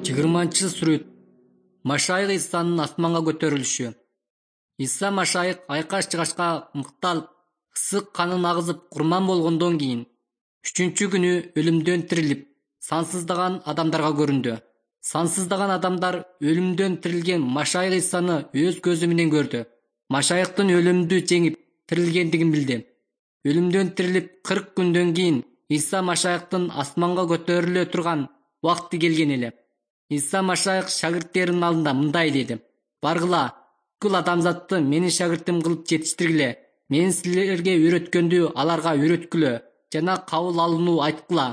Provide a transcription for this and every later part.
20-сүрөт. Машайык Исанын асманга көтөрүлүшү. Иса Машайык айкаш-жыгашка мыкталып, ысык канын агызып курман болгондон кийин 3-күнү өлүмдөн тирилип, сансыздаган адамдарга көрүндү. Сансыздаган адамдар өлүмдөн тирилген Машайык Исаны өз көзү менен көрдү. Машайыктын өлүмдү жеңип тирилгендигин билди. Өлүмдөн тирилип 40 күндөн кийин Иса Машайыктын асманга көтөрүлө турган убакыты келген эле. Иса Машайык шагирттеринин алдында мындай деди: «Баргыла, бүткүл адамзатты менин шагиртим кылып жетиштиргиле. Мен силерге үйрөткөндү аларга үйрөткүлө жана кабыл алууну айткыла».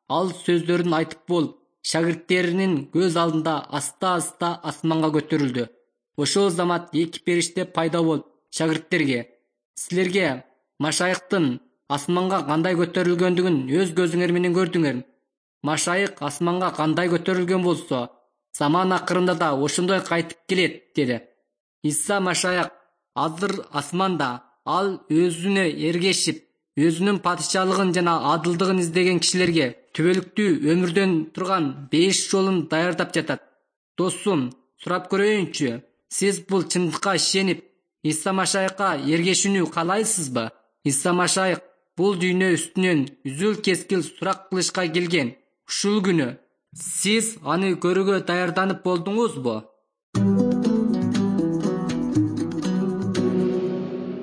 Ал сөздөрүн айтып болуп, шагирттеринин көз алдында аста-аста асманга көтөрүлдү. Ошол замат эки периште пайда болуп, шагирттерге: «Силерге Машайыктын асманга кандай көтөрүлгөндүгүн өз көзүңөр менен көрдүңөр. Машайык асманга кандай көтөрүлгөн болсо, заман акырында да ошондой кайтып келет», — деди. Иса Машайык азыр асманда. Ал өзүнө эргешип, өзүнүн падышалыгын жана адылдыгын издеген кишилерге түбөлүктүү өмүрдөн турган 5 жолун даярдап жатат. Досум, сурап көрөйүнчү, сиз бул чындыкка ишенип, Иса Машайыкка эргешүүнү каалайсызбы? Иса Машайык бул дүйнө үстүнөн үзүл-кескил сурак кылышка келген. Ушул күнү сиз аны көрүүгө даярданып болдуңузбу?